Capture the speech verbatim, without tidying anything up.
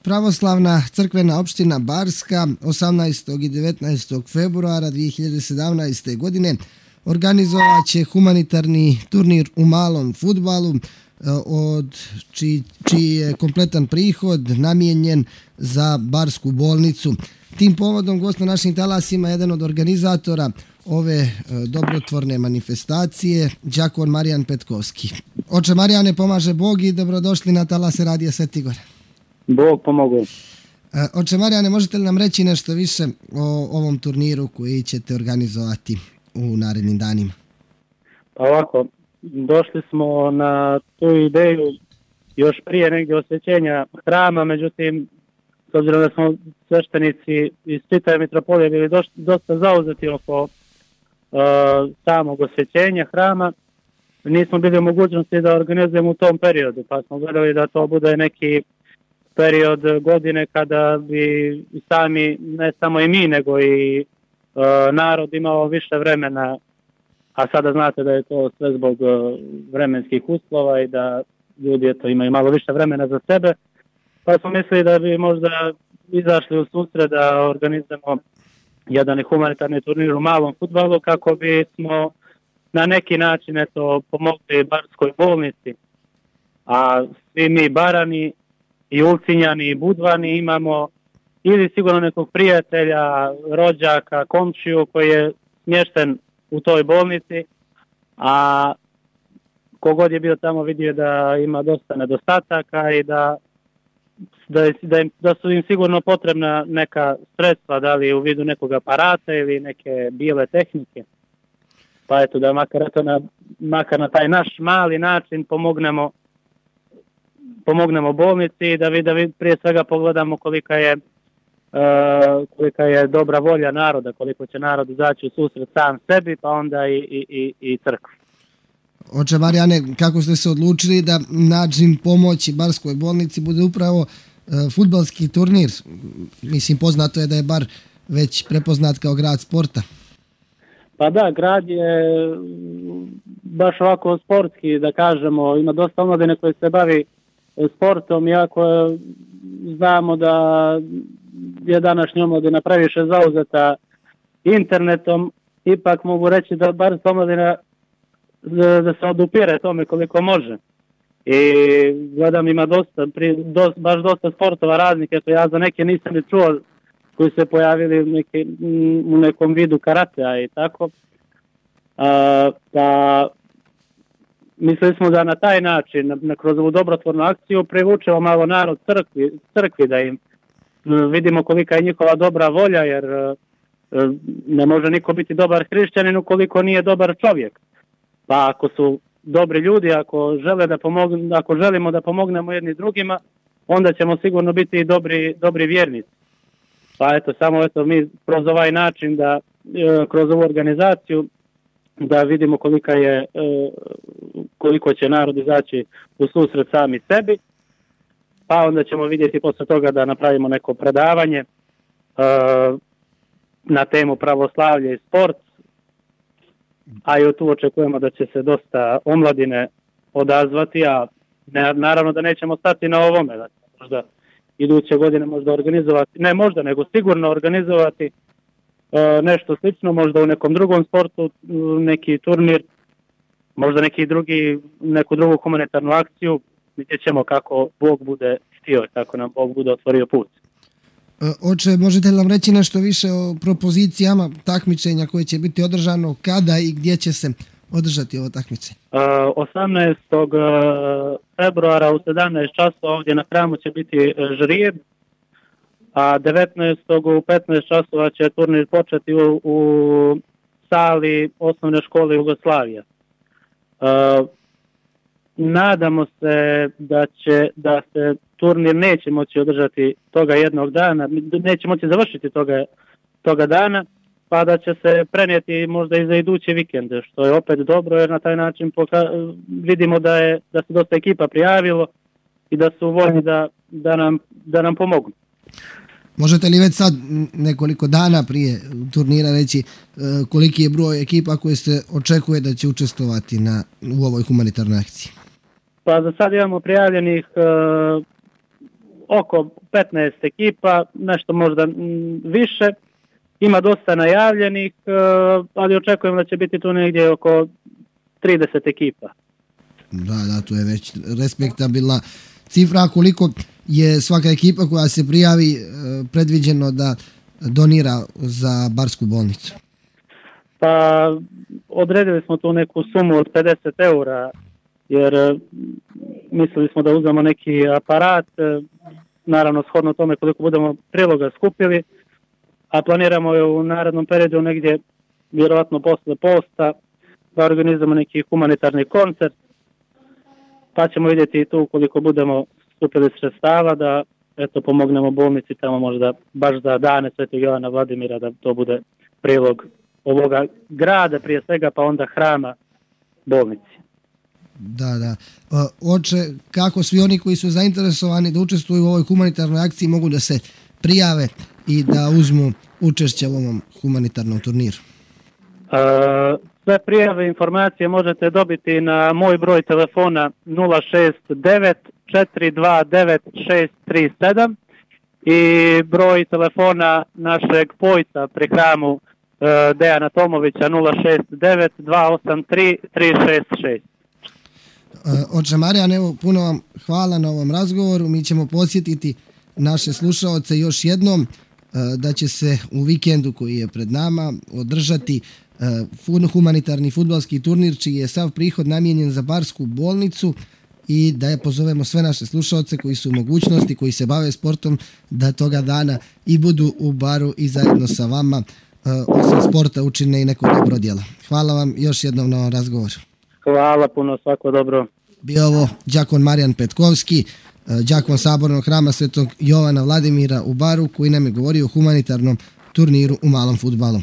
Pravoslavna crkvena opština Barska osamnaestog i devetnaestog februara dvije hiljade sedamnaeste. godine organizovat će humanitarni turnir u malom fudbalu od čiji, čiji je kompletan prihod namijenjen za Barsku bolnicu. Tim povodom gost na našim talasima jedan od organizatora ove dobrotvorne manifestacije, đakon Marijan Petkovski. Oče Marijane, pomaže Bog i dobrodošli na talase Radija Sveti Gor. Bog pomogu. Oče Marijane, možete li nam reći nešto više o ovom turniru koji ćete organizovati u narednim danima? Pa ovako, došli smo na tu ideju još prije negdje osvećenja hrama, međutim, s obzirom da smo sveštenici iz čitave mitropolije bili doš, dosta zauzeti oko uh, samog osvećenja hrama, nismo bili u mogućnosti da organizujemo u tom periodu, pa smo gledali da to bude neki period godine kada bi sami, ne samo i mi, nego i uh, narod imao više vremena, a sada znate da je to sve zbog uh, vremenskih uslova i da ljudi eto, imaju malo više vremena za sebe, pa smo mislili da bi možda izašli u susret da organizujemo jedan humanitarni turnir u malom fudbalu kako bi smo na neki način eto, pomogli Barskoj bolnici, a svi mi Barani i Ulcinjani i Budvani imamo ili sigurno nekog prijatelja, rođaka, komšiju koji je smješten u toj bolnici, a kogod je bio tamo vidio da ima dosta nedostataka i da, da, da, im, da su im sigurno potrebna neka sredstva, da li u vidu nekog aparata ili neke bijele tehnike. Pa eto da makar, eto na, makar na taj naš mali način pomognemo pomognemo bolnici i da vi, da vi prije svega pogledamo kolika je, uh, kolika je dobra volja naroda, koliko će narod izaći u susret sam sebi, pa onda i, i, i, i crkvi. Oče Marijane, kako ste se odlučili da način pomoći Barskoj bolnici bude upravo uh, fudbalski turnir? Mislim, poznato je da je Bar već prepoznat kao grad sporta. Pa da, grad je baš ovako sportski, da kažemo, ima dosta omladine koje se bavi sportom, iako znamo da je današnja omladina previše zauzeta internetom, ipak mogu reći da bar omladina da se odupire tome koliko može. I gledam ima dosta, pri, dosta baš dosta sportova raznih, eto ja za neke nisam ni čuo koji se pojavili u, neke, u nekom vidu karatea i tako. A, pa mislili smo da na taj način, na, na, kroz ovu dobrotvornu akciju, privučemo malo narod crkvi, crkvi, da im vidimo kolika je njihova dobra volja, jer ne može niko biti dobar hrišćanin ukoliko nije dobar čovjek. Pa ako su dobri ljudi, ako žele da pomogne, ako želimo da pomognemo jedni drugima, onda ćemo sigurno biti i dobri, dobri vjernici. Pa eto, samo eto mi kroz ovaj način, da kroz ovu organizaciju, da vidimo kolika je, koliko će narod izaći u susret sami sebi, pa onda ćemo vidjeti posle toga da napravimo neko predavanje na temu pravoslavlje i sport, a i tu očekujemo da će se dosta omladine odazvati, a ne, naravno da nećemo stati na ovome, da možda iduće godine možda organizovati, ne možda, nego sigurno organizovati nešto slično, možda u nekom drugom sportu, neki turnir, možda neki drugi, neku drugu humanitarnu akciju, vidjet ćemo kako Bog bude htio, kako nam Bog bude otvorio put. Oče, možete li nam reći nešto više o propozicijama takmičenja koje će biti održano, kada i gdje će se održati ovo takmičenje? osamnaestog februara u sedamnaest časova ovdje na hramu će biti žrijeb, a devetnaestog u petnaest časova će turnir početi u, u sali osnovne škole Jugoslavija. Uh, nadamo se da će da se turnir neće moći održati toga jednog dana, neće moći završiti toga, toga dana, pa da će se prenijeti možda i za iduće vikende, što je opet dobro jer na taj način poka- vidimo da je da se dosta ekipa prijavilo i da su voljni da, da, nam, da nam pomogu. Možete li već sad nekoliko dana prije turnira reći koliki je broj ekipa koje se očekuje da će učestvovati na, u ovoj humanitarnoj akciji? Pa za sad imamo prijavljenih uh, oko petnaest ekipa, nešto možda više. Ima dosta najavljenih, ali očekujem da će biti tu negdje oko trideset ekipa. Da, da, to je već respektabilna cifra. Koliko je svaka ekipa koja se prijavi predviđeno da donira za Barsku bolnicu? Pa odredili smo tu neku sumu od pedeset eura, jer mislili smo da uzmemo neki aparat, naravno shodno tome koliko budemo priloga skupili, a planiramo je u narednom periodu negdje, vjerovatno posle posta, da organizujemo neki humanitarni koncert, pa ćemo vidjeti tu koliko budemo skupili sredstava da eto pomognemo bolnici tamo možda baš za dane Svetog Jovana Vladimira, da to bude prilog ovoga grada prije svega, pa onda hrama bolnici. Da, da. Oče, kako svi oni koji su zainteresovani da učestvuju u ovoj humanitarnoj akciji mogu da se prijave i da uzmu učešće u ovom humanitarnom turniru? Sve prijave informacije možete dobiti na moj broj telefona nula šest devet četiri dva devet šest tri sedam i broj telefona našeg pojca pri hramu Dejana Tomovića nula šest devet dva osam tri tri šest šest. Oče Marijan, evo, puno vam hvala na ovom razgovoru. Mi ćemo podsjetiti naše slušaoce još jednom da će se u vikendu koji je pred nama održati humanitarni fudbalski turnir čiji je sav prihod namijenjen za Barsku bolnicu i da je pozovemo sve naše slušaoce koji su u mogućnosti, koji se bave sportom, da toga dana i budu u Baru i zajedno sa vama osim sporta učine i neko dobro djelo. Hvala vam još jednom na ovom razgovoru. Hvala puno, svako dobro. Bio ovo đakon Marijan Petkovski, đakon Sabornog hrama Svetog Jovana Vladimira u Baru, koji nam je govorio o humanitarnom turniru u malom fudbalu.